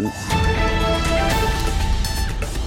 7.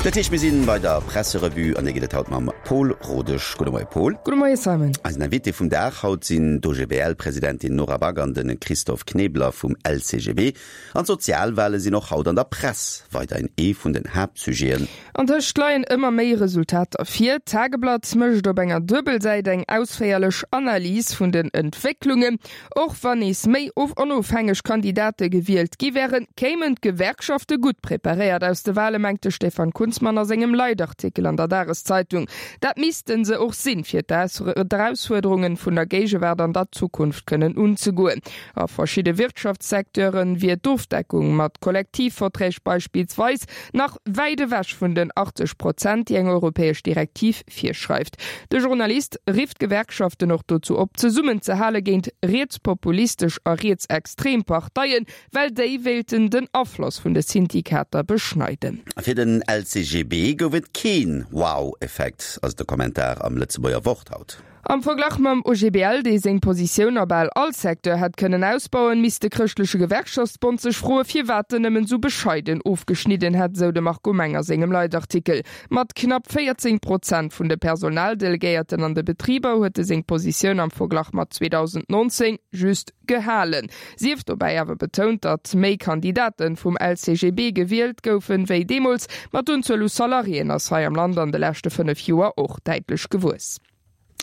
Dat heescht, mir sinn bei der Presserevue an déi geet et haut mam Paul Rodesch. Gudde Moie Paul. Gudde Moie Simon. Eisen Invité vum Dag haut sinn d'OGBL-Presidentin Nora Back an de Christophe Knebler vum LCGB. An d'Sozialwale sinn och haut an der Press weiderhin ee vun den Haaptsujeten. Antëscht leien ëmmer méi Resultater vir. D'Tageblatt mécht op enger Duebelsäit eng ausféierlech Analys vun den Entwécklungen. Och wann nees méi onofhängeg Kandidate gewielt gi wären, kéimen d'Gewerkschafte gutt preparéiert aus de Wale, mengt de Stefan Kunzmann a sengem Leitartikel an der Dageszeitung. Dat misste se och sinn, fir d'Erausfuerderungen vun der Géigewaart an der Zukunft kënnen unzegoen. A verschidde Wirtschaftssecteure wier d'Ofdeckung mat Kollektivverträg beispillsweis nach wäit ewech vun den 80 Prozent, déi eng europäesch Direktiv virschreift. De Journalist rifft d'Gewerkschaften och dozou op, zesummenzehale géint rietspopulistesch a rietsextrem Parteien, well déi wéilten den Afloss vun de Syndikater beschneiden. Fir den LCGB gouf et keen Wow-Effekt, ass de Kommentar am Lëtzebuerger Wort haut. Am Verglach mam OGBL, dee seng Positioun a bal all Secteur hätt kënnen ausbauen, misst de chrëschtleche Gewerkschaftsbond sech froe firwat en nëmmen esou bescheiden ofgeschnidden hätt, esou de Marco Meng a sengem Leitartikel. Mat knapp 14 Prozent vun de Personaldelegéierten an de Betriber huet e seng Positioun am Verglach mat 2019 just gehalen. Sief dobäi awer betount, datt méi Kandidate vum LCGB gewielt goufen, wéi deemools, ma d'Unzuel u Salariéen ass hei am Land an de leschte 5 Joer och däitlech gewuess.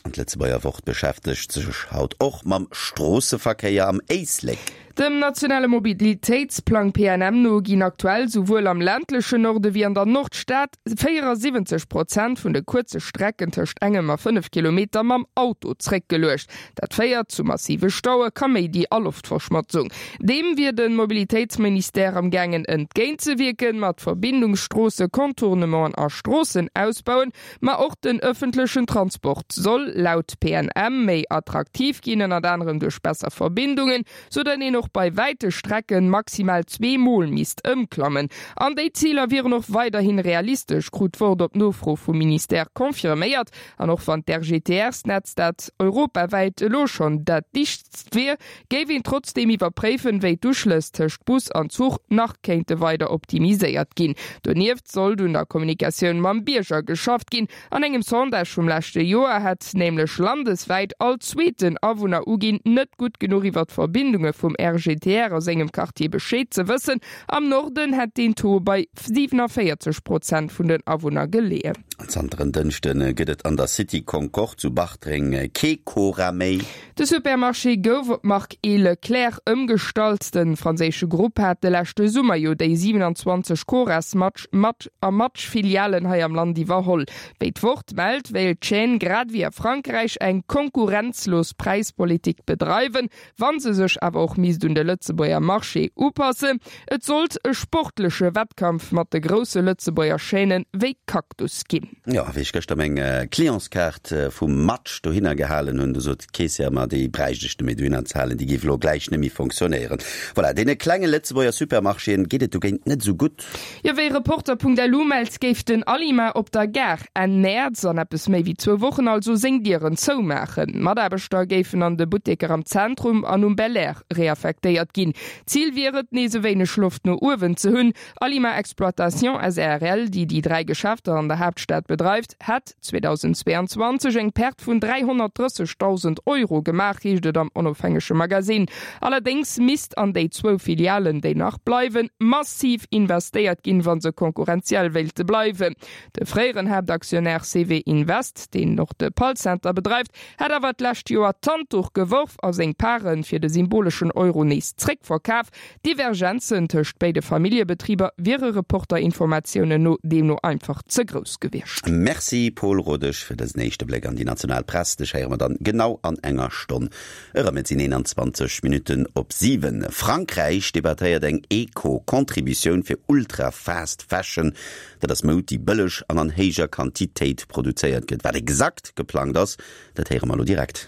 An d'Lëtzebuerger Wort beschäftegt sech haut och mam Stroosseverkéier am Éislek. Dem nationale Mobilitéitsplang PNM no ginn aktuell souwuel am ländlechen Norde wéi an der Nordstad 74 Prozent vun de kuerze Strecken tëscht engem a 5 Kilometer mam Auto zréckgeluecht. Dat féiert zu massive Staue, Kaméidi a Loftverschmotzung. Deem wier de Mobilitéitsministère am gaangen entgéintzewierken, mat Verbindungsstroosse, Contournementen a Stroossenausbauen. Ma och den ëffentlechen Transport soll laut PNM méi attraktiv ginn, ënnert anerem duerch besser Verbindungen, sou datt een och bei wäite Strecken maximal zweemol misst ëmklammen. An déi Ziler wieren och weiderhin realistesch, krut d'Wort op Nofro vum Ministère confirméiert. An och wann d'RGTR-Snetz dat europawäit elo schonn dat dichtst wier, géif een trotzdeem iwwerpréifen, wéi d'Uschlëss tëscht Bus an Zuch nach kéinte weider optimiséiert ginn. Donieft sollt un der Kommunikatioun mam Bierger geschafft ginn. An engem Sondage vum leschte Joer hätt nämlech landeswäit all zweeten Awunner uginn, net gutt genuch iwwer d'Verbindunge vum RGTR a sengem Quartier Bescheed ze wëssen. Am Norden hätt deen Taux bei 47 Prozent vun den Awunner geleeën. Zanter en Dënschde gëtt et an der City Concorde zu Bartreng kee Cora méi. De Supermarché gouf op d'Mark E. Leclerc ëmgestallt. De franséische Grupp hat de leschte Summer jo déi 27 Coras Match Match a Match Filialen hei am Land iwwerholl. Wéi d'Wort mellt, wéilt d'Chaîne grad ewéi a Frankräich eng konkurrenzlos Präispolitik bedreiwen, wa se sech awer och misst un de Lëtzebuerger Marché upassen. Et sollt e sportleche Wettkampf mat de grousse Lëtzebuerger Chaînen wéi Cactus ginn. Jo, wéi ech gëschter meng Clientskaart vum Match dohinner gehalen hunn, du sot d'Keessière mer, déi bräicht ech net méi dohinner ze halen, déi géif elo gläich net méi fonctionnéieren. Voilà, deene klenge Lëtzebuerger Supermarchéen geet et dogéint net esou gutt. Jo, wéi Reporter.lu mellt, géif den Alima op der Gare Enn Mäerz, an eppes méi wéi zwou Wochen also, seng Dieren zoumaachen. Mataarbechter géifen an de Butteker am Zentrum an um Belair reaffektéiert ginn. Zil wier et, nees e wéineg Loft no uewen ze hunn. Alima Exploitation SARL, déi déi 3 Geschäfter an der Haaptstad bedreift, hätt 2022 eng Perte vun 330.000 Euro gemaach, heescht et am onofhängege Magasinn. Allerdéngs misst an déi zwou Filialen, déi nach bleiwen, massiv investéiert ginn, wa se konkurrenziell wéilte bleiwen. De fréieren Haaptaktionär CW Invest, deen och de Pall-Center bedreift, hätt awer d'lescht Joer d'Handduch geworf a seng Pare fir de symboleschen Euro nees zréckverkaf. D'Divergenzen tëscht béide Familljebetriber wiere Reporter-Informatiounen no deemno einfach ze grouss gewiescht. Merci Paul Rodesch fir dësen éischte Bléck an déi national Press. Dech héiere mer dann genau an enger Stonn erëm. Et sinn 21 Minutten op 7. Frankräich debattéiert eng Eco-Contributioun fir Ultra-Fast Fashion. Dat ass Moud, déi bëlleg an an héijer Quantitéit produzéiert gëtt. Wat exakt geplangt ass, dat héiere mer elo direkt.